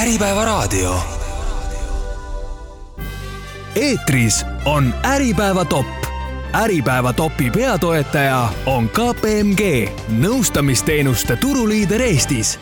Äripäevaraadio. Eetris on Äripäeva top. Äripäeva topi peatoetaja on KPMG, nõustamisteenuste turuliider Eestis.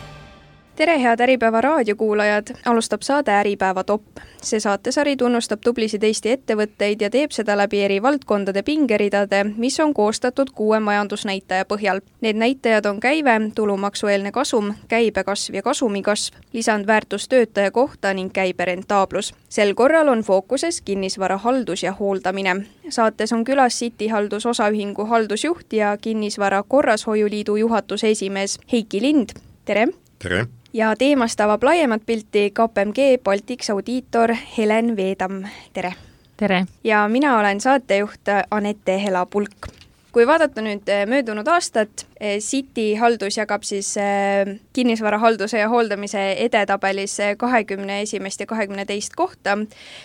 Tere, head Äripäeva raadiokuulajad! Alustab saade Äripäeva top. See saatesari tunnustab tublisid Eesti ettevõtteid ja teeb seda läbi eri valdkondade pingeridade, mis on koostatud 6 majandusnäitaja põhjal. Need näitajad on käive, tulumaksueelne kasum, käibekasv ja kasumikasv, lisandväärtus töötaja kohta ning käiberentaablus. Sel korral on fookuses kinnisvara haldus ja hooldamine. Saates on külas City Haldus osaühingu haldusjuht ja kinnisvara korrashoiuliidu juhatuse esimees Heiki Lind. Tere! Tere! Ja teemast avab laiemat pilti KPMG Baltics audiitor Helen Veedam. Tere! Tere! Ja mina olen saatejuht Anette Hela-Pulk. Kui vaadata nüüd möödunud aastat, City Haldus jagab siis kinnisvara halduse ja hooldamise edetabelis 21. ja 22. kohta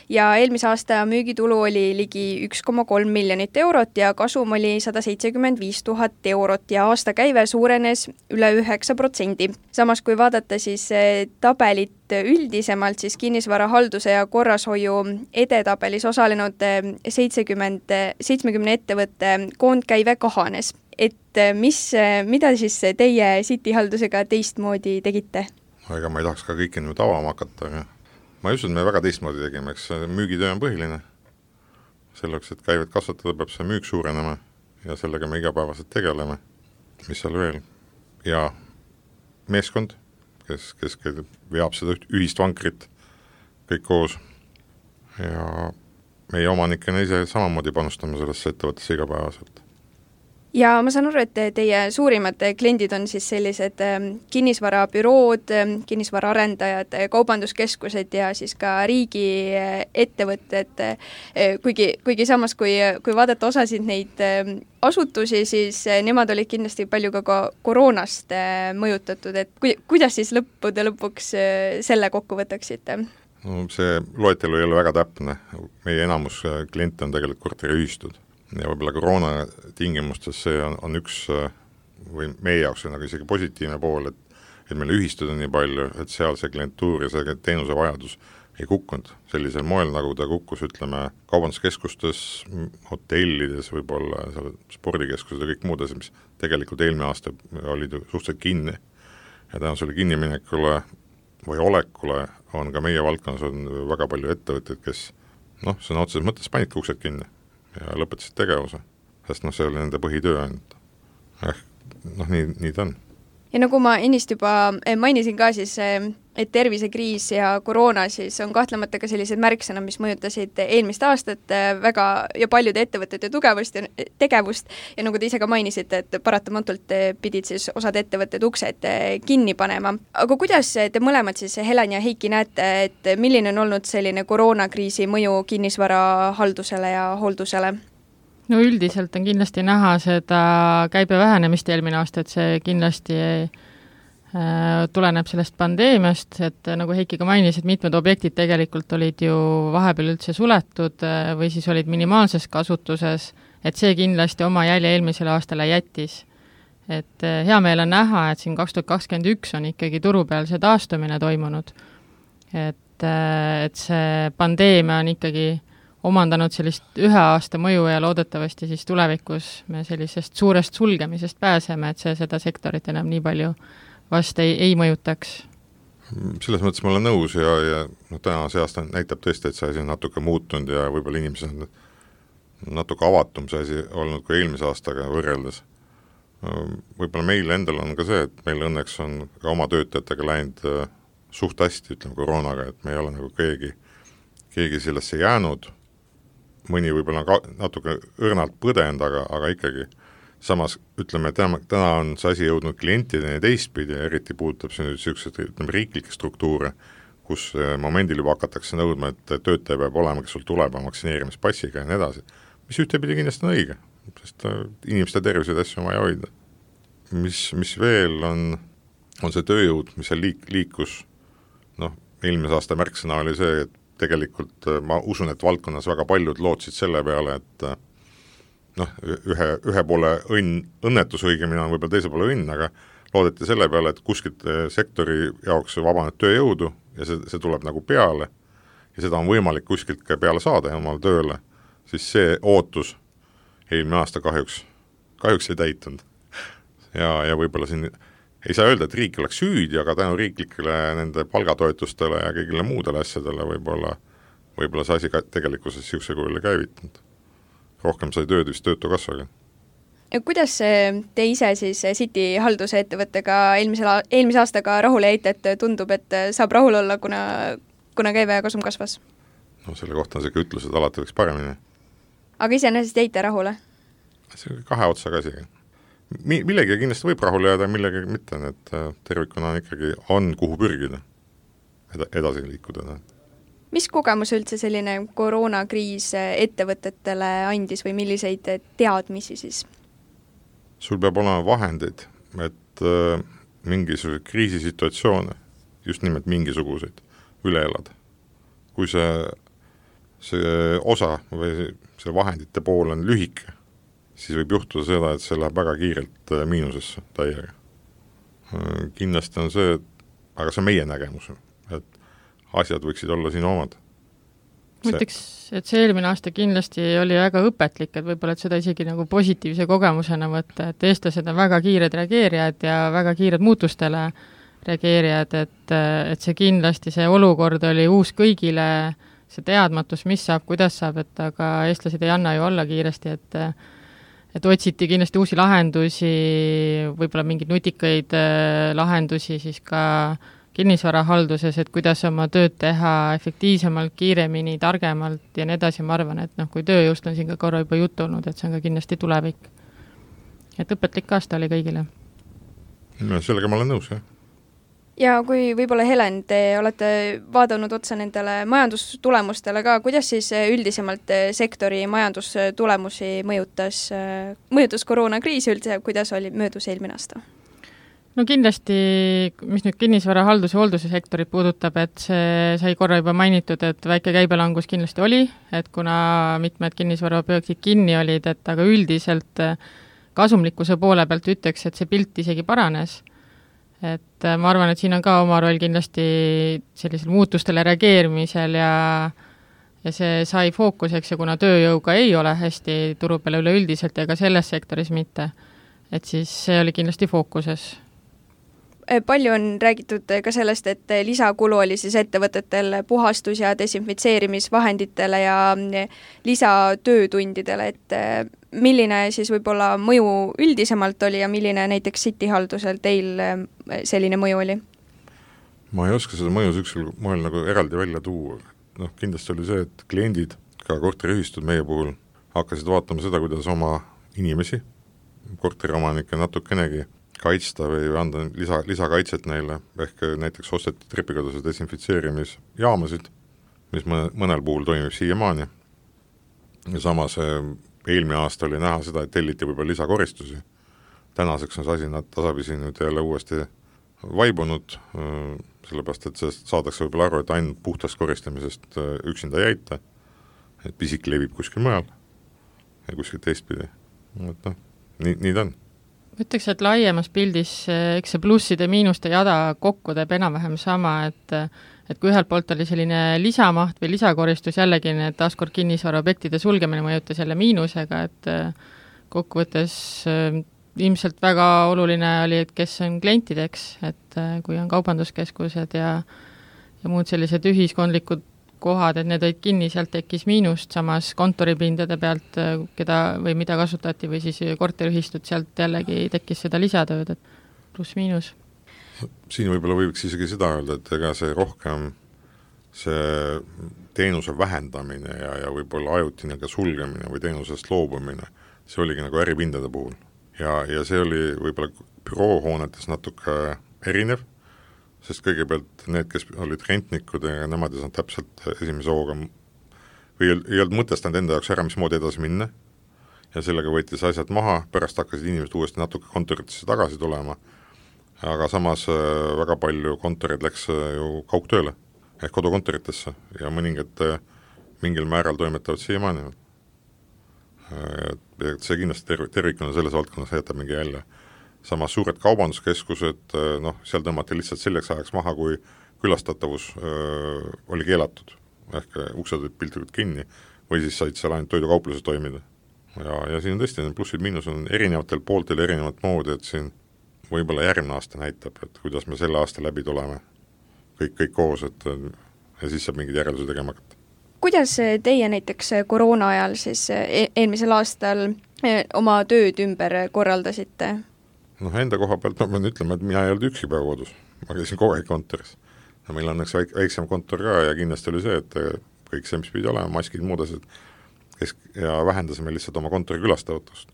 ja eelmise aasta müügitulu oli ligi 1,3 miljonit eurot ja kasum oli 175 000 eurot ja aastakäive suurenes üle 9%. Samas kui vaadata siis tabelit üldisemalt, siis kinnisvara halduse ja korrashoiu edetabelis osalenud 70 ettevõtte koondkäive kahanes. Et mida siis teie City Haldusega teistmoodi tegite? Ega ma ei tahaks ka kõike nüüd avama hakata, aga ma ei usu, et me väga teistmoodi tegime, eks müügitöö on põhiline. Selleks, et käivet kasvatada, peab see müük suurenema ja sellega me igapäevaselt tegeleme. Mis seal veel? Ja meeskond, kes veab seda ühist vankrit kõik koos. Ja meie omanikena ise samamoodi panustame sellesse ettevõttesse igapäevaselt. Ja ma saan aru, et teie suurimad kliendid on siis sellised kinnisvarabürood, kinnisvaraarendajad, kaubanduskeskused ja siis ka riigi ettevõtted. Kuigi samas, kui vaadata osasid neid asutusi, siis nemad olid kindlasti palju ka koroonast mõjutatud. Et kuidas siis lõppude lõpuks selle kokku võtaksite? No, see loetelu ei ole väga täpne. Meie enamus kliente on tegelikult korteriühistud. Ja võib-olla koroona tingimustes see on üks või meie jaoks on isegi positiivne pool, et meil ühistud on nii palju, et seal see klientuur ja see teenuse vajadus ei kukkunud sellisel moel, nagu ta kukkus, ütleme, kaubanduskeskustes, hotellides, võib-olla spordikeskused ja kõik muudes, mis tegelikult eelmine aasta olid suhteliselt kinni. Ja tänu selle kinniminekule või olekule on ka meie valdkonnas on väga palju ettevõtteid, kes sõna otseses mõttes panidki uksed kinni ja lõpetasid tegevuse, sest see oli nende põhitöö ainult. Nii ta on. Ja nagu ma ennist juba mainisin ka siis, et tervisekriis ja koroona siis on kahtlemata ka sellised märksõna, mis mõjutasid eelmist aastat väga ja paljude ettevõtete tugevust ja tegevust ja nagu te ise ka mainisite, et paratamatult pidid siis osad ettevõtted uksed kinni panema. Aga kuidas te mõlemad siis, Helen ja Heiki, näete, et milline on olnud selline koroonakriisi mõju kinnisvara haldusele ja hooldusele? No üldiselt on kindlasti näha seda käibe vähenemist eelmine aasta, et see kindlasti tuleneb sellest pandeemiast, et nagu Heiki ka mainis, et mitmed objektid tegelikult olid ju vahepeal üldse suletud või siis olid minimaalses kasutuses, et see kindlasti oma jälje eelmisele aastale jättis. Et hea meel on näha, et siin 2021 on ikkagi turu peal see taastumine toimunud, et see pandeemia on ikkagi omandanud sellist 1 aasta mõju ja loodetavasti siis tulevikus me sellisest suurest sulgemisest pääseme, et see seda sektorit enam nii palju vast ei mõjutaks. Selles mõttes ma olen nõus ja täna see aasta näitab tõesti, et see asi on natuke muutunud ja võib-olla inimesed on natuke avatum see asi olnud kui eelmise aastaga võrreldes. Võib-olla meil endal on ka see, et meil õnneks on ka oma töötajatega läinud suht hästi, ütleme koroonaga, et me ei ole nagu keegi sellesse jäänud. Mõni võib-olla natuke õrnalt põdend, aga ikkagi samas, ütleme, täna on see asi jõudnud klientideni teistpidi ja eriti puudutab see nüüd sellised riiklikke struktuure, kus momendil juba hakatakse nõudma, et töötaja peab olema, kes sul tuleb vaktsineerimispassiga ja nii edasi, mis ühtepidi kindlasti on õige, sest inimeste tervised asju on vaja hoida. Mis veel on see tööjõud, mis seal liikus, eelmise aasta märksõna oli see, et tegelikult ma usun, et valdkonnas väga paljud lootsid selle peale, et ühe poole õnnetus õigemini on võib-olla teise poole õnn, aga loodeti selle peale, et kuskilt sektori jaoks vabaneb tööjõudu ja see tuleb nagu peale ja seda on võimalik kuskilt ka peale saada omal tööle, siis see ootus eelmine aasta kahjuks ei täitunud. Ja võib-olla siin ei saa öelda, et riik oleks süüdi, aga tänu riiklikele nende palgatoetustele ja kõigile muudele asjadele võib-olla see asi ka tegelikkuses siukse kujule käivitanud. Rohkem sai tööd vist töötukassaga. Ja kuidas te ise siis City halduse ettevõttega eelmise aastaga rahule jäite, et tundub, et saab rahul olla, kuna käive ja kasum kasvas? No selle kohta on see ütlus, et alati võiks paremini. Aga iseenesest jäite rahule? See on kahe otsaga asi. Millegi kindlasti võib rahule jääda, millegi mitte, et tervikuna ikkagi on kuhu pürgida edasi liikuda. Mis kogemus üldse selline koroonakriis ettevõtetele andis või milliseid teadmisi siis? Sul peab olema vahendeid, et mingisuguseid kriisisituatsioone, just nimelt mingisuguseid, üle elada. Kui see osa või see vahendite pool on lühike, siis võib juhtuda seda, et see läheb väga kiirelt miinusesse täiega. Kindlasti on see, aga see on meie nägemus, et asjad võiksid olla siin omad. Ma ütleks, et see eelmine aasta kindlasti oli väga õpetlik, et võib-olla et seda isegi nagu positiivse kogemusena võtta, et eestlased on väga kiired reageerijad ja väga kiired muutustele reageerijad, et see kindlasti see olukord oli uus kõigile, see teadmatus, mis saab, kuidas saab, et aga eestlased ei anna ju olla kiiresti, et otsiti kindlasti uusi lahendusi, võib-olla mingeid nutikaid lahendusi siis ka kinnisvarahalduses, et kuidas oma tööd teha efektiivsemalt, kiiremini, targemalt ja nii edasi, ma arvan, et kui tööjõust on siin ka korra juba juttu olnud, et see on ka kindlasti tulevik. Et õpetlik aasta oli kõigile. No, sellega ma olen nõus, jah. Ja kui võib-olla Helen, te olete vaadanud otsa nendele majandustulemustele ka, kuidas siis üldisemalt sektori majandustulemusi mõjutas koroonakriis üldse, kuidas oli möödus eelmine aasta? No kindlasti, mis nüüd kinnisvarahaldus- ja hoolduse sektorit puudutab, et see sai korra juba mainitud, et väike käibelangus kindlasti oli, et kuna mitmed kinnisvaraobjektid kinni olid, et aga üldiselt kasumlikkuse poole pealt ütleks, et see pilt isegi paranes. Et ma arvan, et siin on ka oma roll kindlasti sellisel muutustele reageerimisel ja see sai fookuseks ja kuna tööjõuga ei ole hästi turu peale üleüldiselt ja ka selles sektoris mitte, et siis see oli kindlasti fookuses. Palju on räägitud ka sellest, et lisakulu oli siis ettevõtetel puhastus- ja desinfitseerimisvahenditele ja lisatöötundidele, et milline siis võib-olla mõju üldisemalt oli ja milline näiteks City haldusel teil selline mõju oli? Ma ei oska seda mõju süksel moel nagu eraldi välja tuua. Kindlasti oli see, et kliendid, ka korteriühistud meie puhul, hakkasid vaatama seda, kuidas oma inimesi, korteriomanikke natukenegi kaitsta või anda lisakaitset neile, ehk näiteks osteti trepikaduse desinfitseerimisjaamasid, mis mõnel puhul toimib siiamaani. Ja samas eelmine aasta oli näha seda, et telliti võib-olla lisakoristusi. Tänaseks on see asi nad tasapisi nüüd jälle uuesti vaibunud, sellepärast, et see saadakse võib-olla aru, et ainult puhtast koristamisest üksinda jäita, et pisik levib kuskil mujal ja kuskil teistpidi. Nii ta on. Ütleks, et laiemas pildis eks see plusside miinuste jada kokku teeb enam-vähem sama, et kui ühelt poolt oli selline lisamaht või lisakoristus jällegi, need taaskord kinnisvaraobjektide sulgemine mõjutas jälle miinusega, et kokkuvõttes ilmselt väga oluline oli, et kes on klientideks, et kui on kaubanduskeskused ja muud sellised ühiskondlikud kohad, et need olid kinni, sealt tekkis miinust, samas kontoripindade pealt, keda või mida kasutati või siis korteriühistud, sealt jällegi tekkis seda lisatööd, et pluss-miinus. Siin võib-olla võiks isegi seda öelda, et ega see rohkem see teenuse vähendamine ja võib-olla ajutine ka sulgemine või teenusest loobumine, see oligi nagu äripindade puhul. Ja see oli võib-olla büroohoonetes natuke erinev, sest kõigepealt need, kes olid rentnikud ja nemad ei saanud täpselt esimese hooga või ei olnud mõtestanud enda jaoks ära, mismoodi edasi minna ja sellega võttis asjad maha, pärast hakkasid inimesed uuesti natuke kontoritesse tagasi tulema, aga samas väga palju kontorid läks ju kaugtööle ehk kodukontoritesse ja mõningad mingil määral toimetavad siiamaani. See kindlasti tervikuna selles valdkonnas jätab mingi jälle. Samas suured kaubanduskeskused, seal tõmmati lihtsalt selleks ajaks maha, kui külastatavus oli keelatud, ehk uksed olid piltlikult kinni, või siis said seal ainult toidukaupluses toimida. Ja siin on tõesti, plussid-miinus on erinevatel pooltel erinevat moodi, et siin võib-olla järgmine aasta näitab, et kuidas me selle aasta läbi tuleme kõik koos, ja siis saab mingid järelduse tegema hakata. Kuidas teie näiteks koroona ajal siis eelmisel aastal oma tööd ümber korraldasite? Enda koha pealt ma pean ütlema, et mina ei olnud üksi päeva kodus, ma käisin kogu aeg kontoris. Meil on üks väiksem kontor ka ja kindlasti oli see, et kõik see, mis pidi olema, maskid, muud asjad, ja vähendasime lihtsalt oma kontori külastavatust.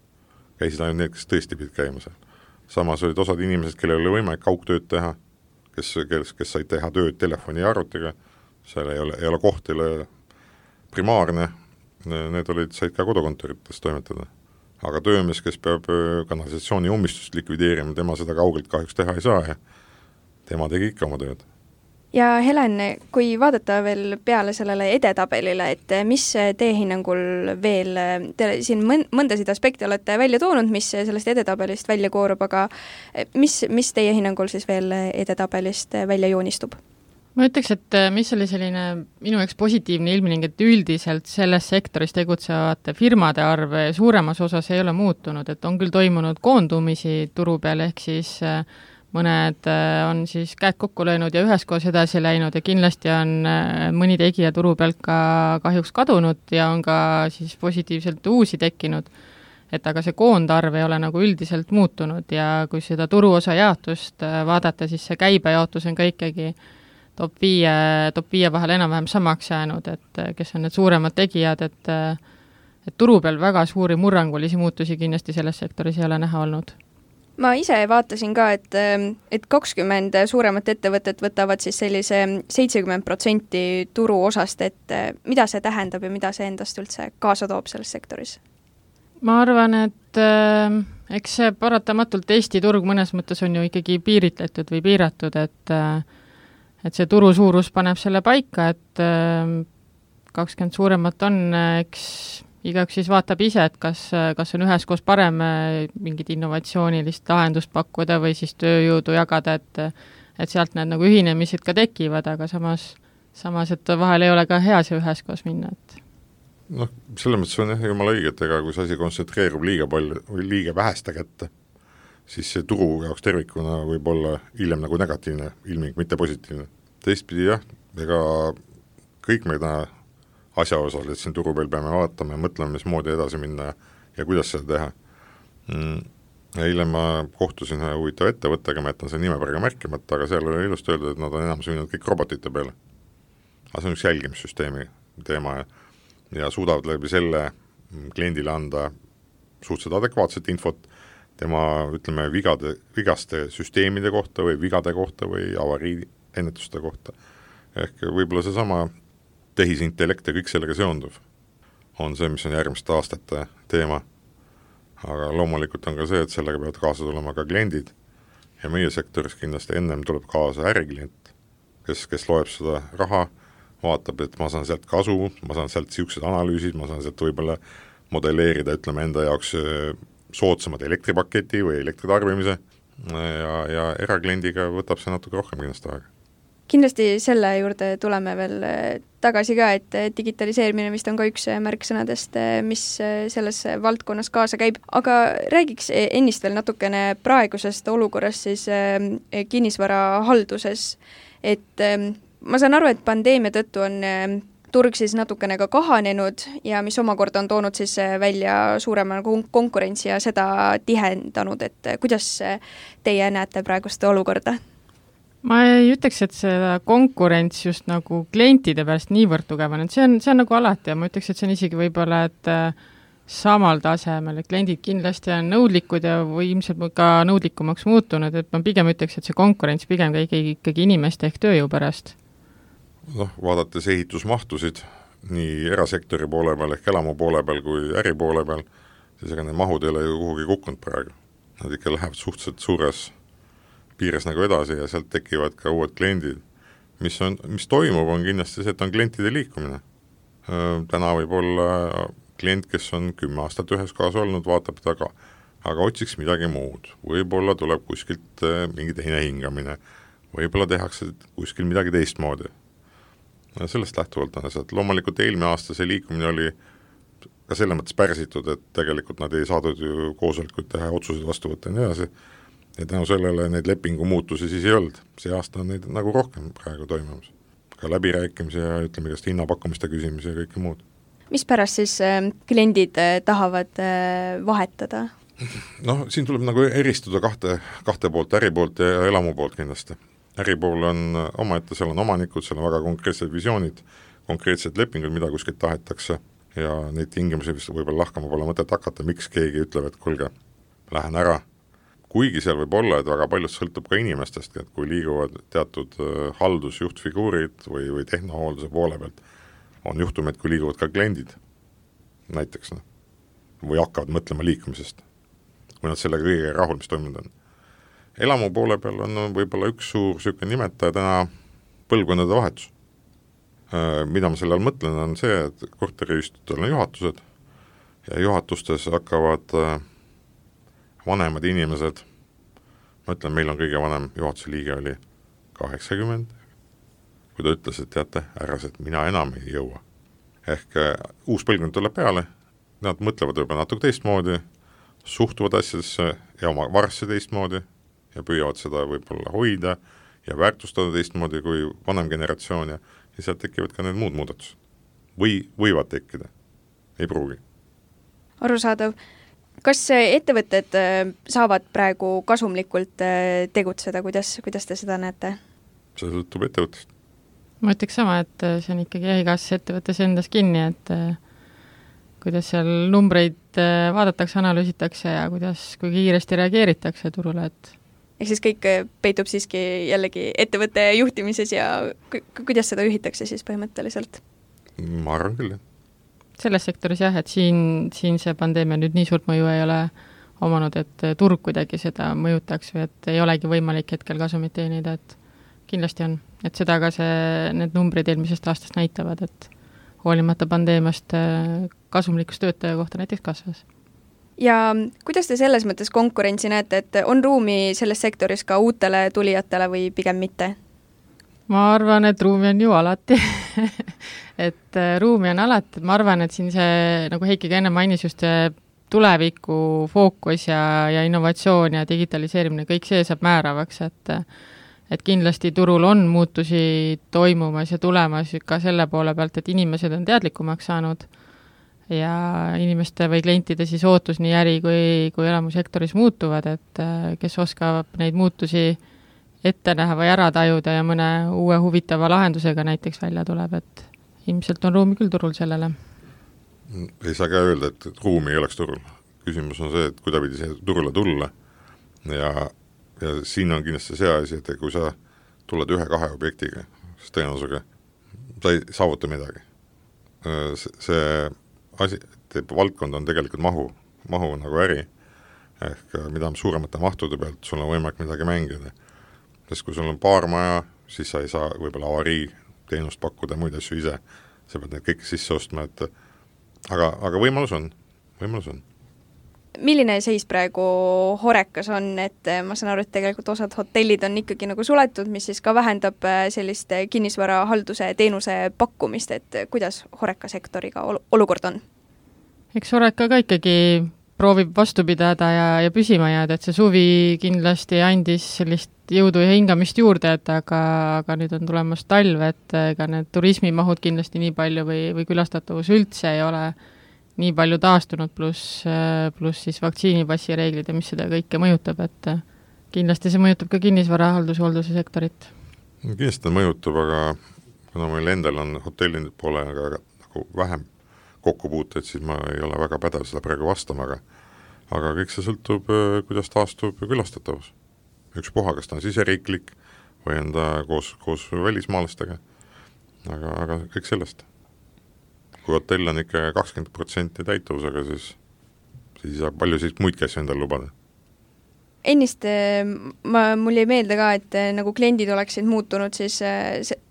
Käisid ainult need, kes tõesti pidid käima seal. Samas olid osad inimesed, kellel oli võimalik kaugtööd teha, kes said teha tööd telefoni ja arvutiga, seal ei ole kohtile primaarne, need said ka kodukontorites toimetada. Aga töömees, kes peab kanalisatsiooni ummistust likvideerima, tema seda kaugelt kahjuks teha ei saa ja tema tegi ikka oma tööd. Ja Helen, kui vaadata veel peale sellele edetabelile, et mis teie hinnangul veel, te siin mõndasid aspekte olete välja toonud, mis sellest edetabelist välja koorub, aga mis teie hinnangul siis veel edetabelist välja joonistub? Ma ütleks, et mis oli selline minu jaoks positiivne ilmning, et üldiselt selles sektoris tegutsevate firmade arv suuremas osas ei ole muutunud, et on küll toimunud koondumisi turu peal, ehk siis mõned on siis käed kokku löönud ja üheskoos edasi läinud ja kindlasti on mõni tegija turu pealt ka kahjuks kadunud ja on ka siis positiivselt uusi tekkinud. Et aga see koondarv ei ole nagu üldiselt muutunud ja kui seda turuosa jaotust vaadata, siis see käibejaotus on ka ikkagi top 5 vahel enam-vähem samaks jäänud, et kes on need suuremad tegijad, et turu peal väga suuri murrangulisi muutusi kindlasti selles sektoris ei ole näha olnud. Ma ise vaatasin ka, et 20 suuremat ettevõtet võtavad siis sellise 70% turu osast, et mida see tähendab ja mida see endast üldse kaasa toob selles sektoris? Ma arvan, et eks see paratamatult Eesti turg mõnes mõttes on ju ikkagi piiritletud või piiratud, et see turu suurus paneb selle paika, et 20 suuremat on, eks igaüks siis vaatab ise, et kas on üheskoos parem mingit innovatsioonilist lahendust pakkuda või siis tööjõudu jagada, et sealt need nagu ühinemised ka tekivad, aga samas, et vahel ei ole ka hea see üheskoos minna. Selles mõttes on jumala õige, et ega kui see asi kontsentreerub liiga palju või liiga väheste kätte, siis see turu jaoks tervikuna võib olla hiljem nagu negatiivne ilming, mitte positiivne. Teistpidi jah, ega kõik me täna asjaosal, et siin turu peal peame vaatama ja mõtlema, mis moodi edasi minna ja kuidas seda teha. Eile ma kohtusin ühe huvitav ettevõttega, ma jätan selle nime praegu märkimata, aga seal oli ilusti öeldud, et nad on enam suunud kõik robotite peale. Aga see on üks jälgimissüsteemi teema ja suudavad läbi selle kliendile anda suhteliselt adekvaatset infot tema, ütleme, vigaste süsteemide kohta või vigade kohta või avarii ennetuste kohta. Ehk võib-olla see sama tehisintellekt ja kõik sellega seonduv on see, mis on järgmiste aastate teema. Aga loomulikult on ka see, et sellega peavad kaasa tulema ka kliendid ja meie sektoris kindlasti ennem tuleb kaasa äriklient, kes loeb seda raha, vaatab, et ma saan sealt kasu, ma saan sealt siuksed analüüsid, ma saan sealt võib-olla modelleerida, ütleme, enda jaoks soodsamad elektripaketi või elektritarbimise ja erakliendiga võtab see natuke rohkem kindlasti aega. Kindlasti selle juurde tuleme veel tagasi ka, et digitaliseerimine vist on ka üks märksõnadest, mis selles valdkonnas kaasa käib. Aga räägiks ennist veel natukene praegusest olukorrast siis kinnisvarahalduses. Et ma saan aru, et pandeemia tõttu on turg siis natukene ka kahanenud ja mis omakorda on toonud siis välja suurema konkurentsi ja seda tihendanud, et kuidas teie näete praegust olukorda? Ma ei ütleks, et seda konkurents just nagu klientide pärast niivõrd tugevan, et see on nagu alati ja ma ütleks, et see on isegi võib-olla, et samal tasemel, et kliendid kindlasti on nõudlikud ja või ilmselt ka nõudlikumaks muutunud, et ma pigem ütleks, et see konkurents pigem ikkagi inimeste ehk tööjõu pärast. Vaadates ehitusmahtusid nii erasektori poole peal ehk elamu poole peal kui äri poole peal, siis ega need mahud ei ole ju kuhugi kukkunud praegu. Nad ikka lähevad suhteliselt suures piires nagu edasi ja sealt tekivad ka uued kliendid. Mis toimub, on kindlasti see, et on klientide liikumine. Täna võib olla klient, kes on 10 aastat ühes kohas olnud, vaatab taga, aga otsiks midagi muud. Võib-olla tuleb kuskilt mingi teine hingamine. võib-olla tehakse kuskil midagi teistmoodi. Sellest lähtuvalt on asjad. Loomulikult eelmine aasta see liikumine oli ka selle mõttes pärsitud, et tegelikult nad ei saadud ju koosolekuid teha, otsuseid vastu võtta ja nii edasi. Ja tänu sellele neid lepingu muutusi siis ei olnud. See aasta on neid nagu rohkem praegu toimumas. Ka läbirääkimisi ja ütleme igast hinnapakkumiste küsimisi ja kõike muud. Mis pärast siis kliendid tahavad vahetada? Noh, siin tuleb nagu eristuda kahte poolt, äripoolt ja elamu poolt kindlasti. Äripool on omaette, seal on omanikud, seal on väga konkreetsed visioonid, konkreetsed lepingud, mida kuskilt tahetakse ja neid tingimusi vist võib-olla lahkama pole mõtet hakata, miks keegi ütleb, et kuulge, lähen ära. Kuigi seal võib olla, et väga paljud sõltub ka inimestest, et kui liiguvad teatud haldusjuhtfiguurid või tehnohoolduse poole pealt, on juhtumid, kui liiguvad ka kliendid näiteks, või hakkavad mõtlema liikumisest, kui nad sellega kõige rahul, mis toimunud on. Elamu poole peal on võib-olla üks suur süüke nimetaja täna põlvkondade vahetus. Mida ma selle all mõtlen, on see, et korteriühistutel on juhatused ja juhatustes hakkavad vanemad inimesed, ma ütlen, meil on kõige vanem juhatuse liige oli 80, kui ta ütles, et teate, härrased, mina enam ei jõua. Ehk uus põlvkond tuleb peale, nad mõtlevad võib-olla natuke teistmoodi, suhtuvad asjadesse ja oma varsse teistmoodi ja püüavad seda võib-olla hoida ja väärtustada teistmoodi kui vanem generatsioon ja sealt tekivad ka need muud muudatused. Võivad tekkida, ei pruugi. Arusaadav. Kas ettevõtted saavad praegu kasumlikult tegutseda, kuidas te seda näete? See sõltub ettevõttest. Ma ütleks sama, et see on ikkagi igas ettevõttes endas kinni, et kuidas seal numbreid vaadatakse, analüüsitakse ja kui kiiresti reageeritakse turule, et ehk siis kõik peitub siiski jällegi ettevõtte juhtimises ja kuidas seda juhitakse siis põhimõtteliselt? Ma arvan küll, jah. Selles sektoris jah, et siin see pandeemia nüüd nii suurt mõju ei ole omanud, et turg kuidagi seda mõjutaks või et ei olegi võimalik hetkel kasumit teenida, et kindlasti on. Et seda ka need numbrid eelmisest aastast näitavad, et hoolimata pandeemiast kasumlikkus töötaja kohta näiteks kasvas. Ja kuidas te selles mõttes konkurentsi näete, et on ruumi selles sektoris ka uutele tulijatele või pigem mitte? Ma arvan, et ruumi on ju alati. et ruumi on alati. Ma arvan, et siin see, nagu Heiki ka enne mainis, just tuleviku fookus ja innovatsioon ja digitaliseerimine, kõik see saab määravaks, et kindlasti turul on muutusi toimumas ja tulemas ka selle poole pealt, et inimesed on teadlikumaks saanud ja inimeste või klientide siis ootus nii äri kui elamusektoris muutuvad, et kes oskab neid muutusi ette näha või ära tajuda ja mõne uue huvitava lahendusega näiteks välja tuleb, et ilmselt on ruumi küll turul sellele. Ei saa ka öelda, et ruumi ei oleks turul. Küsimus on see, et kuidagi see turule tulla ja siin on kindlasti see asi, et kui sa tuled 1-2 objektiga, siis tõenäosusega sa ei saavuta midagi. See asi, valdkond on tegelikult mahu nagu äri, ehk mida suuremate mahtude pealt sul on võimalik midagi mängida. Sest kui sul on paar maja, siis sa ei saa võib-olla avarii teenust pakkuda muid asju ise, sa pead need kõik sisse ostma, et aga võimalus on. Milline seis praegu Horekas on, et ma saan aru, et tegelikult osad hotellid on ikkagi nagu suletud, mis siis ka vähendab sellist kinnisvarahalduse teenuse pakkumist, et kuidas Horeka sektoriga olukord on? Eks Horeka ka ikkagi proovib vastu pidada ja püsima jääda, et see suvi kindlasti andis sellist jõudu ja hingamist juurde, et aga nüüd on tulemas talv, et ega need turismimahud kindlasti nii palju või külastatavus üldse ei ole nii palju taastunud, pluss siis vaktsiinipassi reeglid ja mis seda kõike mõjutab, et kindlasti see mõjutab ka kinnisvarahalduse sektorit. Kindlasti mõjutab, aga kuna meil endal on hotellide poole nagu vähem kokkupuuteid, siis ma ei ole väga pädev seda praegu vastama, aga kõik see sõltub, kuidas taastub külastatavus. Ükspuha, kas ta on siseriiklik või on ta koos välismaalastega, aga kõik sellest. Kui hotell on ikka 20% täituvusega, siis palju siis muid käsi endal lubada. Ennist mul jäi meelde ka, et nagu kliendid oleksid muutunud siis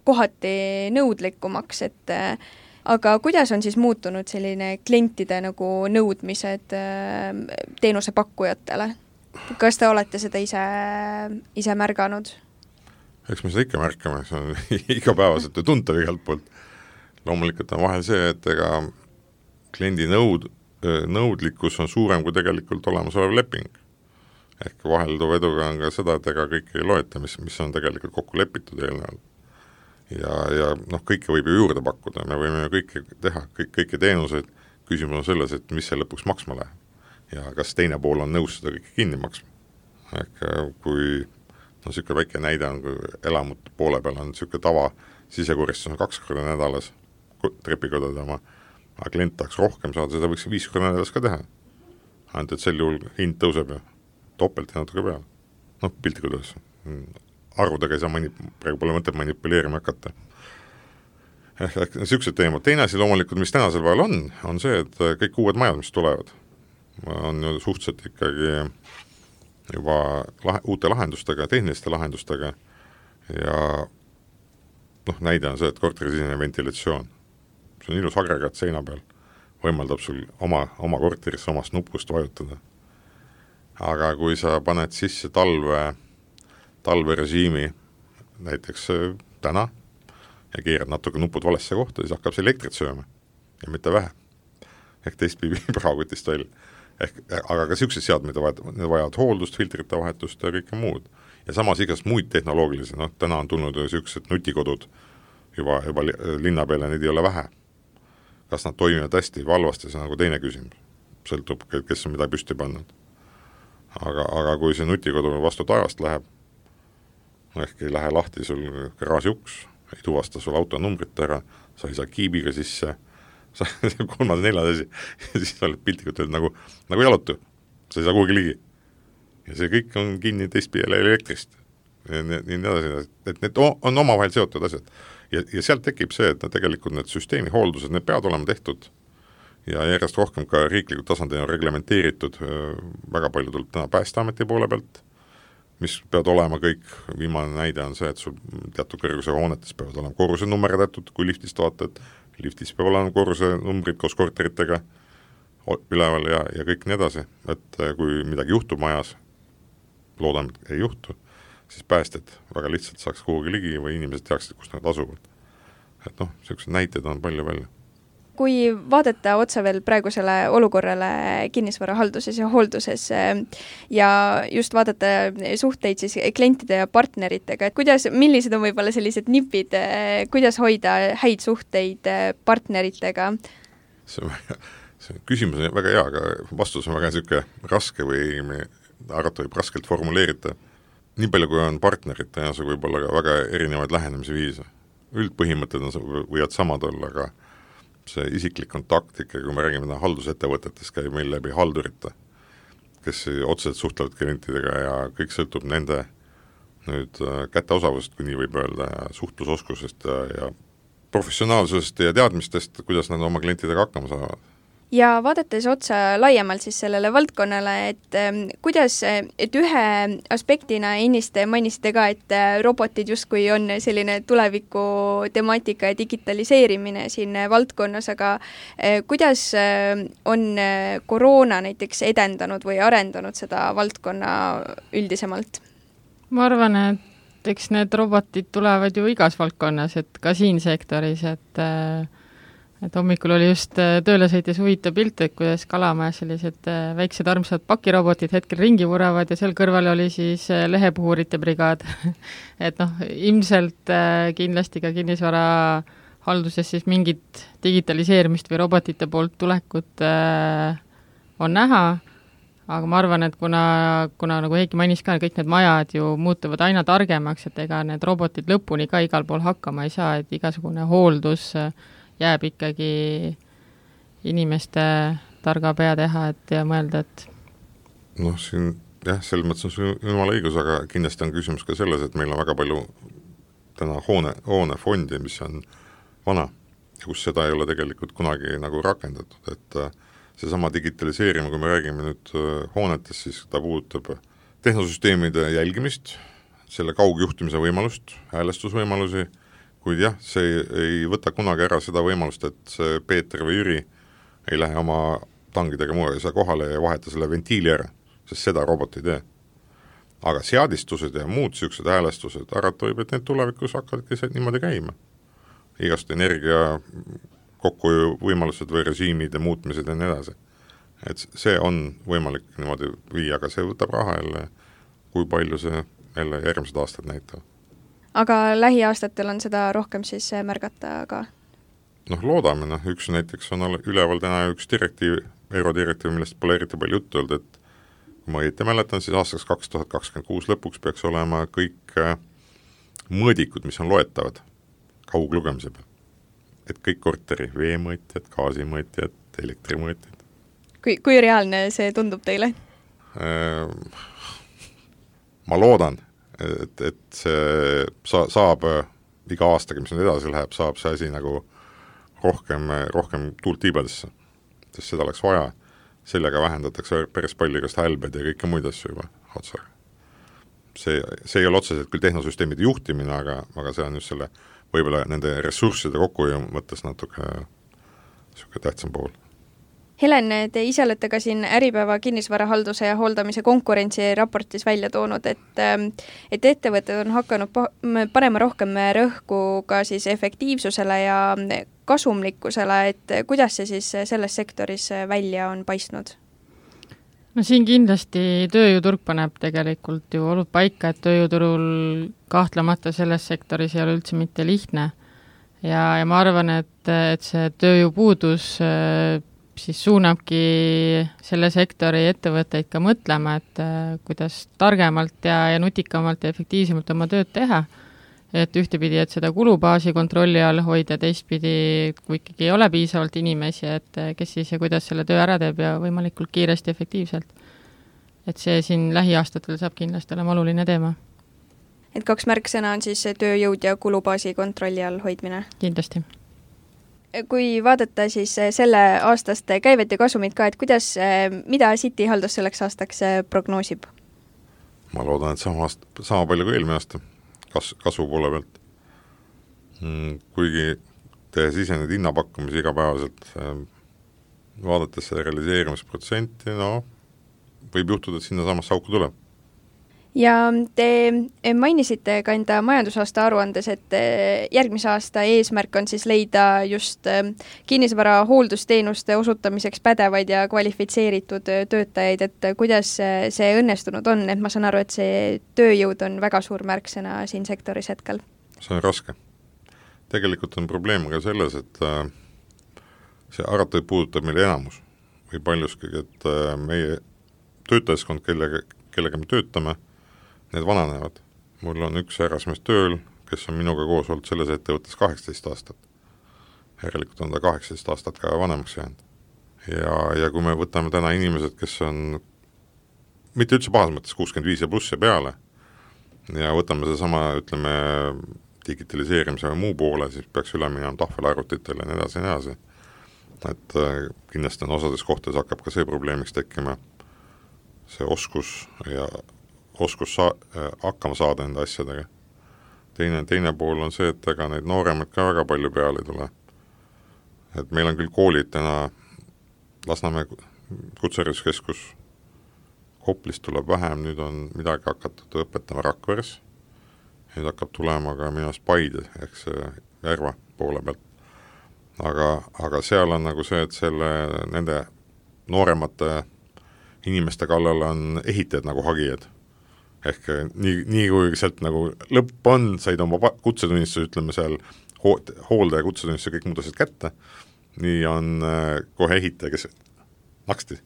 kohati nõudlikumaks, et aga kuidas on siis muutunud selline klientide nagu nõudmised teenusepakkujatele? Kas te olete seda ise märganud? Eks me seda ikka märkame, see on igapäevaselt ju tuntav igalt poolt. Loomulikult on vahel see, et ega kliendi nõudlikkus on suurem kui tegelikult olemasolev leping. Ehk vahelduva eduga on ka seda, et ega kõike ei loeta, mis on tegelikult kokku lepitud eelnevalt. Ja kõike võib ju juurde pakkuda, me võime ju kõike teha, kõiki teenuseid, küsimus on selles, et mis see lõpuks maksma läheb ja kas teine pool on nõus seda kõike kinni maksma. Ehk kui niisugune väike näide on, kui elamut poole peal on niisugune tava, sisekoristus on 2 korda nädalas trepikodade oma, aga klient tahaks rohkem saada, seda võiks 5 korda nädalas ka teha. Ainult, et sel juhul hind tõuseb ja topelt ja natuke peale. Piltlikult üles. Arvudega ei saa praegu pole mõtet manipuleerima hakata. Niisugused teemad. Teine asi loomulikult, mis tänasel päeval on see, et kõik uued majad, mis tulevad, on ju suhteliselt ikkagi juba uute lahendustega, tehniliste lahendustega ja näide on see, et korterisisene ventilatsioon. See on ilus agregaat seina peal, võimaldab sul oma korterisse omast nupust vajutada. Aga kui sa paned sisse talverežiimi näiteks täna ja keerad natuke nupud valesse kohta, siis hakkab see elektrit sööma ja mitte vähe. Ehk teist praagutist välja. Aga ka niisugused seadmed vajavad hooldust, filtrite vahetust ja kõike muud. Ja samas igast muid tehnoloogilisi, täna on tulnud niisugused nutikodud juba linna peale, neid ei ole vähe. Kas nad toimivad hästi või halvasti, see on nagu teine küsimus. Sõltub, kes on mida püsti pannud. Aga kui see nutikodu vastu taevast läheb, ehk ei lähe lahti sul garaaži uks, ei tuvasta sul auto numbrit ära, sa ei saa kiibiga sisse, kolmad neljad asi, ja siis oled piltikult nagu jalutu, sa ei saa kuhugi ligi. Ja see kõik on kinni teistpidi elektrist. Nii edasi, et need on omavahel seotud asjad. Ja sealt tekib see, et tegelikult need süsteemi hooldused, need peavad olema tehtud ja järjest rohkem ka riiklikult tasandil on reglementeeritud, väga palju tuleb täna Päästeameti poole pealt, mis peavad olema kõik, viimane näide on see, et sul teatud kõrguse hoonetes peavad olema korruse nummerdatud, kui liftist vaatad, liftis peavad olema korruse numbrid koos korteritega üleval ja kõik nii edasi, et kui midagi juhtub majas, loodame, et ei juhtu, siis päästed väga lihtsalt saaks kuhugi ligi või inimesed teaksid, kus nad asuvad. Et sellised näited on palju. Kui vaadata otsa veel praegusele olukorrale kinnisvarahalduses ja hoolduses ja just vaadata suhteid siis klientide ja partneritega, et millised on võib-olla sellised nipid, kuidas hoida häid suhteid partneritega? See küsimus on väga hea, aga vastus on väga niisugune raske või arvata võib raskelt formuleerida. Nii palju, kui on partnerid, tõenäoliselt võib olla ka väga erinevaid lähenemise viise. Üldpõhimõtted võivad samad olla, aga see isiklik kontakt ikka, kui me räägime haldusettevõtetest, käib meil läbi haldurite, kes otseselt suhtlevad klientidega ja kõik sõltub nende käteosavust, kui nii võib öelda, ja suhtlusoskusest ja professionaalsusest ja teadmistest, kuidas nad oma klientidega hakkama saavad. Ja vaadates otsa laiemalt siis sellele valdkonnale, et ühe aspektina ennist mainisite ka, et robotid justkui on selline tuleviku temaatika ja digitaliseerimine siin valdkonnas, aga kuidas on koroona näiteks edendanud või arendanud seda valdkonna üldisemalt? Ma arvan, et eks need robotid tulevad ju igas valdkonnas, et ka siin sektoris, et hommikul oli just tööle sõites huvitav pilt, et kuidas Kalamajas sellised väiksed armsad pakirobotid hetkel ringi vuravad ja seal kõrval oli siis lehepuhurite brigaad. Et ilmselt kindlasti ka kinnisvara halduses siis mingit digitaliseerimist või robotite poolt tulekut on näha, aga ma arvan, et kuna nagu Heiki mainis ka, kõik need majad ju muutuvad aina targemaks, et ega need robotid lõpuni ka igal pool hakkama ei saa, et igasugune hooldus jääb ikkagi inimeste targa pea teha, et ja mõelda, et siin jah, selles mõttes on see jumala õigus, aga kindlasti on küsimus ka selles, et meil on väga palju täna hoonefondi, mis on vana ja kus seda ei ole tegelikult kunagi nagu rakendatud, et seesama digitaliseerimine, kui me räägime nüüd hoonetest, siis ta puudutab tehnosüsteemide jälgimist, selle kaugjuhtimise võimalust, häälestusvõimalusi, kuid jah, see ei võta kunagi ära seda võimalust, et see Peeter või Jüri ei lähe oma tangidega kohale ja vaheta selle ventiili ära, sest seda robot ei tee. aga seadistused ja muud niisugused häälestused, arvata võib, et need tulevikus hakkavadki niimoodi käima. Igast energia kokkuhoiu võimalused või režiimid ja muutmised ja nii edasi. Et see on võimalik niimoodi viia, aga see võtab raha jälle, kui palju see jälle järgmised aastad näitavad. Aga lähiaastatel on seda rohkem siis märgata ka? Loodame, üks näiteks on üleval täna üks direktiiv, eurodirektiiv, millest pole eriti palju juttu olnud, et kui ma õieti mäletan, siis aastaks 2026 lõpuks peaks olema kõik mõõdikud, mis on loetavad kauglugemise peal. Et kõik korteri veemõõtjad, gaasimõõtjad, elektrimõõtjad. Kui reaalne see tundub teile? Ma loodan, et see saab iga aastaga, mis nüüd edasi läheb, saab see asi nagu rohkem tuult tiibadesse, sest seda oleks vaja. Sellega vähendatakse päris palju igast hälbed ja kõike muid asju juba otsa. See ei ole otseselt küll tehnosüsteemide juhtimine, aga see on just selle võib-olla nende ressursside kokkuhoiu mõttes natuke tähtsam pool. Helen, te ise olete ka siin Äripäeva kinnisvarahalduse ja hooldamise konkurentsiraportis välja toonud, et ettevõtted on hakanud panema rohkem rõhku ka siis efektiivsusele ja kasumlikkusele, et kuidas see siis selles sektoris välja on paistnud? No siin kindlasti tööjõuturg paneb tegelikult ju olnud paika, et tööjõuturul kahtlemata selles sektoris ei ole üldse mitte lihtne. Ja ma arvan, et see tööjõupuudus siis suunabki selle sektori ettevõtteid ka mõtlema, et kuidas targemalt ja nutikamalt ja efektiivsemalt oma tööd teha. Et ühtepidi, et seda kulubaasi kontrolli all hoida, teistpidi, kui ikkagi ei ole piisavalt inimesi, et kes siis ja kuidas selle töö ära teeb ja võimalikult kiiresti efektiivselt. Et see siin lähiaastatel saab kindlasti olema oluline teema. Et 2 märksõna on siis tööjõud ja kulubaasi kontrolli all hoidmine? Kindlasti. Kui vaadata siis selle aastast käivet ja kasumit ka, et mida City haldus selleks aastaks prognoosib? Ma loodan, et sama palju kui eelmine aasta kasvu poole pealt. Kuigi tehes ise need hinnapakkumisi igapäevaselt, vaadates seda realiseerimisprotsenti, võib juhtuda, et sinna samasse auku tuleb. Ja te mainisite ka enda majandusaasta aruandes, et järgmise aasta eesmärk on siis leida just kinnisvara hooldusteenuste osutamiseks pädevaid ja kvalifitseeritud töötajaid, et kuidas see õnnestunud on, et ma saan aru, et see tööjõud on väga suur märksõna siin sektoris hetkel. See on raske. Tegelikult on probleem ka selles, et see arvatav puudutab meile enamus või paljuski, et meie töötajaskond, kellega me töötame, need vananevad. Mul on üks härrasmees tööl, kes on minuga koos olnud selles ettevõttes 18 aastat. Järelikult on ta 18 aastat ka vanemaks jäänud. Ja kui me võtame täna inimesed, kes on mitte üldse pahas mõttes 65 ja pluss ja peale ja võtame see sama, ütleme, digitaliseerimise või muu poole, siis peaks üle minema tahvelarvutitele ja nii edasi. Et kindlasti on osades kohtades hakkab ka see probleemiks tekkima, see oskus hakkama saada enda asjadega. Teine pool on see, et ega neid nooremad ka väga palju peale ei tule. Et meil on küll koolid täna Lasnamäe kutsehariduskeskus, Koplist tuleb vähem, nüüd on midagi hakatud õpetama Rakveres, nüüd hakkab tulema ka minust Paide, ehk see Järva poole pealt. Aga seal on nagu see, et nende nooremate inimeste kallal on ehitajad nagu hagijad. Ehk nii kui sealt nagu lõpp on, said oma kutsetunnistuse, ütleme seal hooldaja kutsetunnistuse kõik muud asjad kätte, nii on kohe ehitaja, kes naksti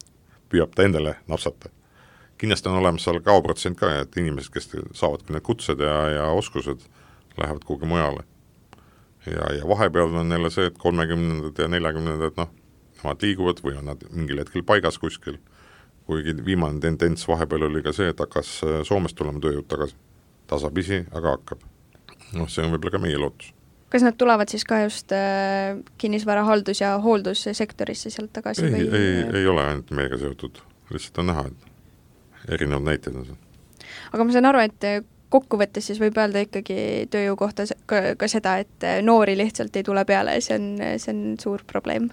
püüab ta endale napsata. Kindlasti on olemas seal kaoprotsent ka, et inimesed, kes saavad küll need kutsed ja oskused, lähevad kuhugi mujale. Ja vahepeal on jälle see, et 30. ja 40. Nemad liiguvad või on nad mingil hetkel paigas kuskil. Kuigi viimane tendents vahepeal oli ka see, et hakkas Soomest tulema tööjõud tagasi. Tasapisi, aga hakkab. See on võib-olla ka meie lootus. Kas nad tulevad siis ka just kinnisvara haldus- ja hooldussektorisse sealt tagasi? Ei ole ainult meiega seotud. Lihtsalt on näha, et erinevad näited on see. Aga ma saan aru, et kokkuvõttes siis võib öelda ikkagi tööjõu kohta ka seda, et noori lihtsalt ei tule peale, see on suur probleem.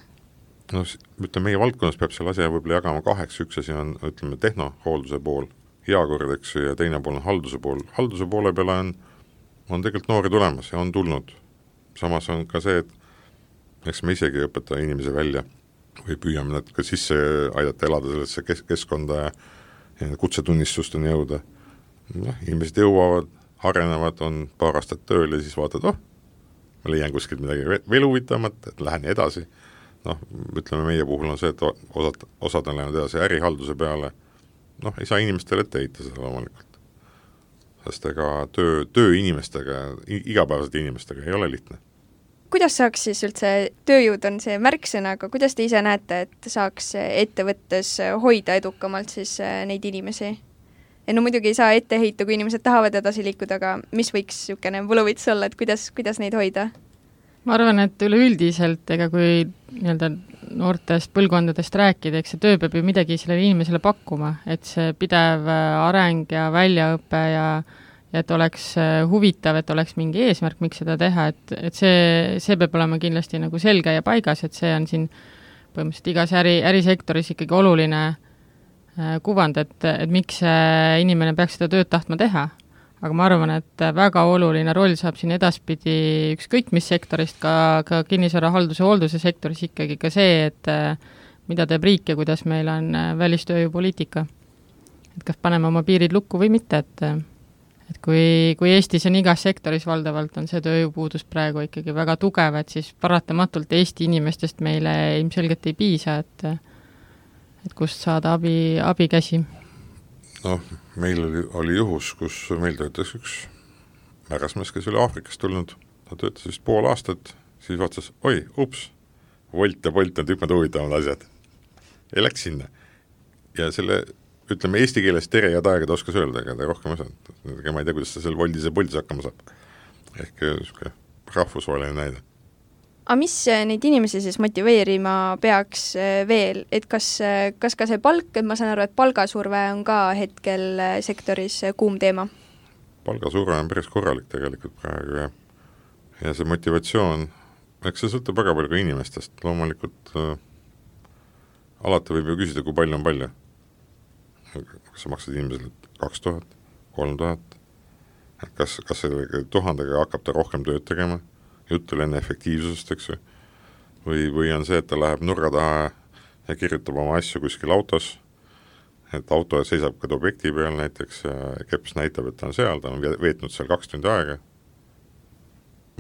Ütleme, meie valdkonnas peab selle asja võib-olla jagama 2, üks asi on, ütleme, tehnohoolduse pool heakord, eks, ja teine pool on halduse pool. Halduse poole peale on tegelikult noori tulemas ja on tulnud. Samas on ka see, et eks me isegi õpeta inimesi välja või püüame nad ka sisse aidata elada sellesse keskkonda ja kutsetunnistusteni jõuda. Inimesed jõuavad, arenevad, on paar aastat tööl ja siis vaatad, ma leian kuskilt midagi veel huvitamat, et lähen edasi. Ütleme, meie puhul on see, et osad on läinud edasi ärihalduse peale. Ei saa inimestele ette heita seda loomulikult. Sest ega töö inimestega, igapäevased inimestega ei ole lihtne. Kuidas saaks siis üldse, tööjõud on see märksõna, aga kuidas te ise näete, et saaks ettevõttes hoida edukamalt siis neid inimesi? Muidugi ei saa ette heita, kui inimesed tahavad edasi liikuda, aga mis võiks niisugune võluvits olla, et kuidas neid hoida? Ma arvan, et üleüldiselt, ega kui nii-öelda noortest põlvkondadest rääkida, eks see töö peab ju midagi sellele inimesele pakkuma, et see pidev areng ja väljaõpe ja et oleks huvitav, et oleks mingi eesmärk, miks seda teha, et see peab olema kindlasti nagu selge ja paigas, et see on siin põhimõtteliselt igas ärisektoris ikkagi oluline kuvand, et miks inimene peaks seda tööd tahtma teha. Aga ma arvan, et väga oluline roll saab siin edaspidi ükskõik mis sektorist, ka kinnisvara halduse hoolduse sektoris ikkagi ka see, et mida teeb riik ja kuidas meil on välistööjõupoliitika. Et kas paneme oma piirid lukku või mitte, et kui Eestis on igas sektoris valdavalt on see tööjõupuudus praegu ikkagi väga tugev, et siis paratamatult Eesti inimestest meile ilmselgelt ei piisa, et kust saada abikäsi. Meil oli juhus, kus meil töötas üks märasmees, kes oli Aafrikast tulnud. Ta töötas vist pool aastat, siis vaatas, Wolt ja Bolt on tükmad huvitavad asjad. Ja läks sinna. Ja selle, ütleme, eesti keeles tere ja taega ta oskas öelda, aga ta rohkem osanud. Ma ei tea, kuidas ta seal Woltis ja Boltis hakkama saab. Ehk rahvusvaheline näide. Aga mis neid inimesi siis motiveerima peaks veel, et kas ka see palk, et ma saan aru, et palgasurve on ka hetkel sektoris kuum teema? Palgasurve on päris korralik tegelikult praegu ja see motivatsioon, eks see sõltub väga palju ka inimestest, loomulikult alati võib ju küsida, kui palju on palju. Kas sa maksad inimesele 2000, 3000, kas selle 1000-ga hakkab ta rohkem tööd tegema? Jutt oli enne efektiivsusest, eks või on see, et ta läheb nurga taha ja kirjutab oma asju kuskil autos, et auto seisab ka objekti peal näiteks ja keps näitab, et ta on seal, ta on veetnud seal 2 tundi aega.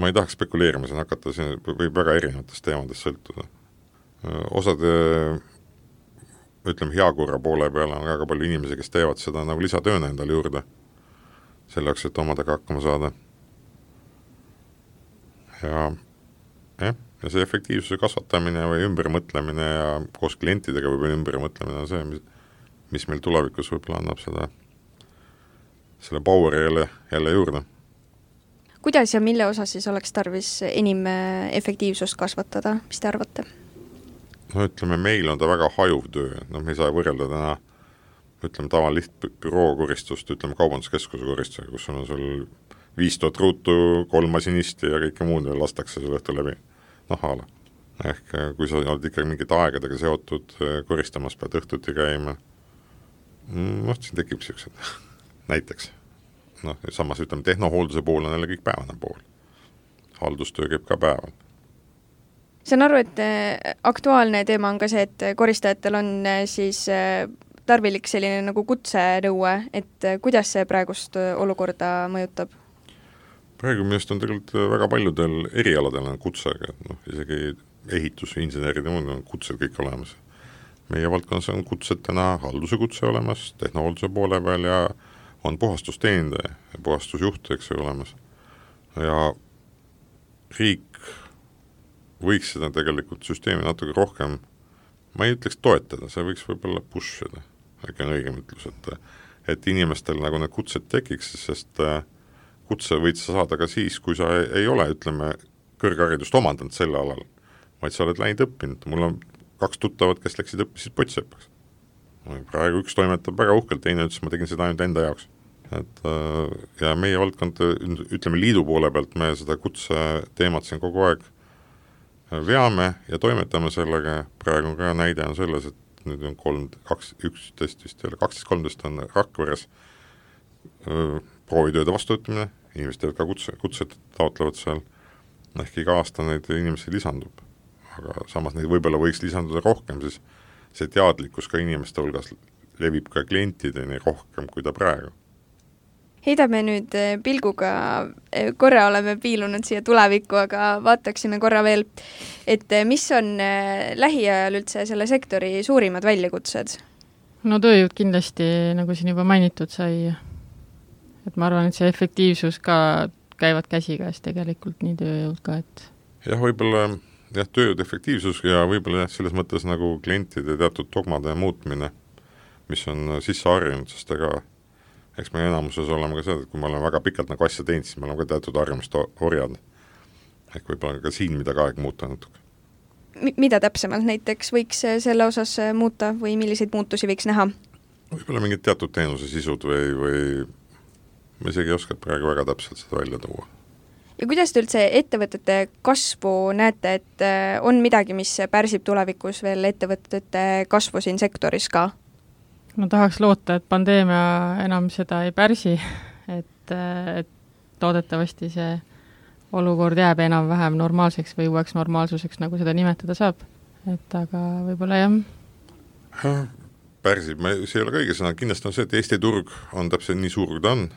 Ma ei tahaks spekuleerima, siin hakata, siin võib väga erinevatest teemadest sõltuda. Osad, ütleme, heakorra poole peale on väga palju inimesi, kes teevad seda nagu lisatööna endale juurde, selleks, et omadega hakkama saada. Ja see efektiivsuse kasvatamine või ümbermõtlemine ja koos klientidega võib ümbermõtlemine on see, mis meil tulevikus võib-olla annab selle poweri jälle juurde. Kuidas ja mille osas siis oleks tarvis enim efektiivsust kasvatada, mis te arvate? Ütleme, meil on ta väga hajuv töö, me ei saa võrrelda täna, ütleme, tavalist büroo koristust, ütleme, kaubanduskeskuse koristusega, kus on sul 5000 ruutu, 3 masinisti ja kõike muud ja lastakse sul õhtu läbi haala. Ehk kui sa oled ikkagi mingit aegadega seotud koristamas, pead õhtuti käima, siin tekib sellised näiteks. Samas ütleme, tehnohoolduse pool on jälle kõik päevane pool. Haldustöö käib ka päeval. Saan aru, et aktuaalne teema on ka see, et koristajatel on siis tarvilik selline nagu kutsenõue, et kuidas see praegust olukorda mõjutab? Praegu millest on tegelikult väga paljudel erialadel on kutsega, isegi ehitus, insenerid ja muud on kutsed kõik olemas. Meie valdkonnas on kutsed täna halduse kutse olemas, tehnohoolduse poole peal ja on puhastusteenindaja ja puhastusjuht, eks olemas. Ja riik võiks seda tegelikult süsteemi natuke rohkem, ma ei ütleks toetada, see võiks võib-olla pushida, äkki on õigem ütlus, et inimestel nagu need kutsed tekiks, sest kutse võid sa saada ka siis, kui sa ei ole, ütleme, kõrgharidust omandanud selle alal, vaid sa oled läinud õppinud. Mul on 2 tuttavad, kes läksid õppisid potsseppaks. Praegu üks toimetab väga uhkelt, teine ütles, ma tegin seda ainult enda jaoks. Ja meie valdkond, ütleme, liidu poole pealt me seda kutse teemat siin kogu aeg veame ja toimetame sellega. Praegu ka näide on selles, et nüüd on 12-13 on Rakveres proovitööde vastuvõtmine, inimesed teevad ka kutsed taotlevad seal, ehk iga aasta neid inimesi lisandub. Aga samas neid võib-olla võiks lisanduda rohkem, siis see teadlikkus ka inimeste hulgas levib ka klientideni rohkem, kui ta praegu. Heidame nüüd pilguga, korra oleme piilunud siia tulevikku, aga vaataksime korra veel, et mis on lähiajal üldse selle sektori suurimad väljakutsed? No tööjõud kindlasti, nagu siin juba mainitud sai, et ma arvan, et see efektiivsus ka käivad käsikäes tegelikult nii tööjõud ka, et jah, võib-olla tööjõud efektiivsus ja võib-olla selles mõttes nagu klientide teatud dogmade muutmine, mis on sisse harjunud, sest eks me enamuses oleme ka seda, et kui me oleme väga pikalt nagu asja teinud, siis me oleme ka teatud harjumust orjad. Ehk võib-olla ka siin midagi aeg muuta natuke. Mida täpsemalt näiteks võiks selle osas muuta või milliseid muutusi võiks näha? Võib-olla mingid teatud teenuse sisud või ma isegi ei oska praegu väga täpselt seda välja tuua. Ja kuidas te üldse ettevõtete kasvu näete, et on midagi, mis pärsib tulevikus veel ettevõtete kasvu siin sektoris ka? No tahaks loota, et pandeemia enam seda ei pärsi, et toodetavasti see olukord jääb enam-vähem normaalseks või uueks normaalsuseks, nagu seda nimetada saab. Et aga võib-olla jah. Pärsib, see ei ole kõige sõna, kindlasti on see, et Eesti turg on täpselt nii suur, kui ta on.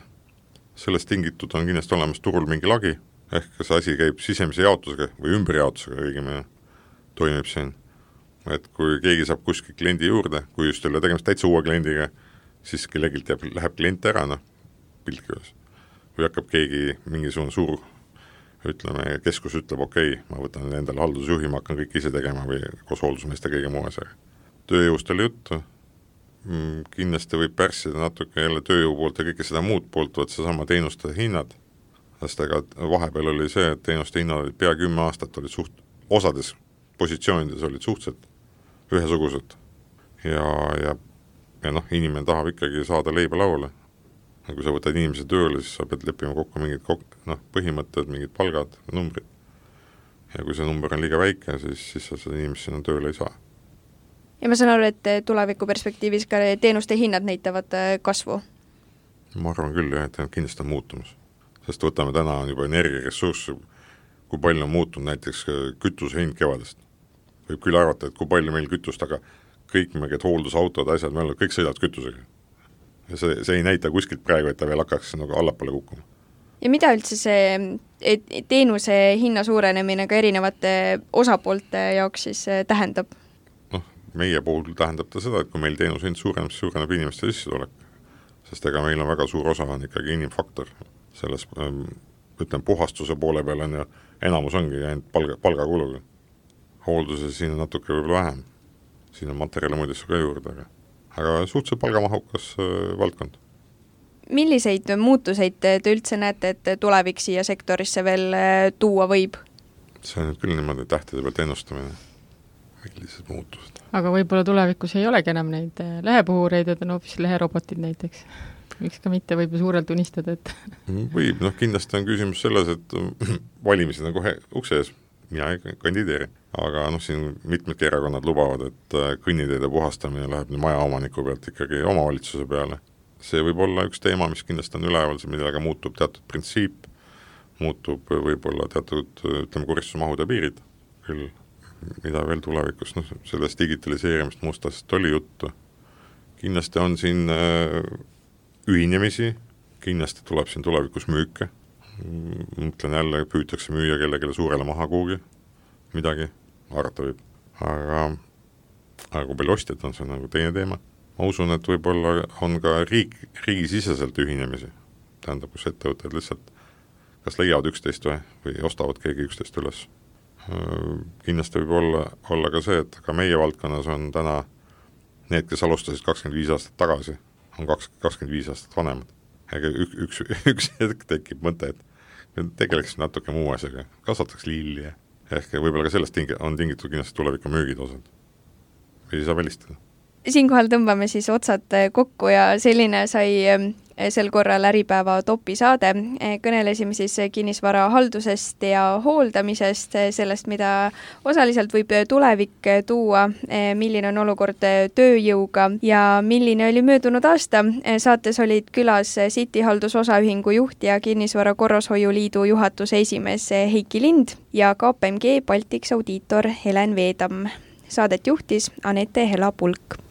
Sellest tingitud on kindlasti olemas turul mingi lagi, ehk see asi käib sisemise jaotusega või ümberjaotusega õigemini toimib siin. Et kui keegi saab kuskil kliendi juurde, kui just jälle tegemist täitsa uue kliendiga, siis kellegilt läheb klient ära, piltkives. Või hakkab keegi mingisugune suur, keskus ütleb, okei, ma võtan endale haldusjuhi, ma hakkan kõik ise tegema või koos hooldusmeeste kõige muu asjaga. Tööjõust oli juttu, kindlasti võib pärssida natuke jälle tööjõu poolt ja kõike seda muud poolt, võt seesama teenuste hinnad. Sest vahepeal oli see, et teenuste hinnad olid pea 10 aastat, olid osades positsioonides olid suhteliselt ühesugused. Ja inimene tahab ikkagi saada leiba lauale. Kui sa võtad inimese tööle, siis sa pead leppima kokku mingid põhimõtted, mingid palgad, numbrid. Ja kui see number on liiga väike, siis sa seda inimest sinna tööle ei saa. Ja ma saan aru, et tuleviku perspektiivis ka teenuste hinnad näitavad kasvu? Ma arvan küll, et kindlasti on muutumus. Sest võtame täna on juba energiaressurss, kui palju on muutunud näiteks kütuse hind kevadest. Võib küll arvata, et kui palju meil kütust, aga kõik mingid hooldusautod, asjad, meil kõik sõidavad kütusega. Ja see ei näita kuskilt praegu, et ta veel hakkaks nagu allapoole kukkuma. Ja mida üldse see teenuse hinna suurenemine ka erinevate osapoolte jaoks siis tähendab? Meie puhul tähendab ta seda, et kui meil teenuse hind suureneb inimeste sissetulek, sest ega meil on väga suur osa on ikkagi inimfaktor. Selles, puhastuse poole peal on ja enamus ongi ainult palgakuluga. Hoolduse siin on natuke võib-olla vähem. Siin on materjale muidesse ka juurde, aga suhteliselt palgamahukas valdkond. Milliseid muutuseid te üldse näete, et tulevik siia sektorisse veel tuua võib? See on nüüd küll niimoodi tähtede pealt ennustamine. Millised muutused? Aga võib-olla tulevikus ei olegi enam neid lehepuhureid, et on hoopis leherobotid näiteks. Miks ka mitte võib ju suurelt unistada, et võib, kindlasti on küsimus selles, et valimised on kohe ukse ees, mina ei kandideeri. Aga siin mitmedki erakonnad lubavad, et kõnniteede puhastamine läheb maja omaniku pealt ikkagi omavalitsuse peale. See võib olla üks teema, mis kindlasti on üleval, millega muutub teatud printsiip, muutub võib-olla teatud, koristusmahud ja piirid. Küll, mida veel tulevikus, sellest digitaliseerimist mustasest oli juttu. Kindlasti on siin ühinemisi, kindlasti tuleb siin tulevikus müüke. Mõtlen jälle, püütakse müüa kellelegi suurele maha kuhugi midagi, arvata võib. Aga kui palju ostjad on, see nagu teine teema. Ma usun, et võib-olla on ka riigisiseselt ühinemisi. Tähendab, kus ettevõtted lihtsalt kas leiavad 11 või ostavad keegi 11 üles. Kindlasti võib olla ka see, et ka meie valdkonnas on täna need, kes alustasid 25 aastat tagasi, on 25 aastat vanemad. Ega üks hetk tekib mõte, et tegeleks natuke muu asjaga, kasvataks lilli. Ehk võib-olla ka sellest on tingitud kindlasti tuleviku müügid osad. Või ei saa välistada. Siinkohal tõmbame siis otsad kokku ja selline sai sel korral Äripäeva topi saade. Kõnelesime siis kinnisvara haldusest ja hooldamisest, sellest, mida osaliselt võib tulevik tuua, milline on olukord tööjõuga ja milline oli möödunud aasta. Saates olid külas City haldusosaühingu juht ja Kinnisvara Korrashoiuliidu juhatuse esimees Heiki Lind ja KPMG Baltics audiitor Helen Veedam. Saadet juhtis Anette Hela-Pulk.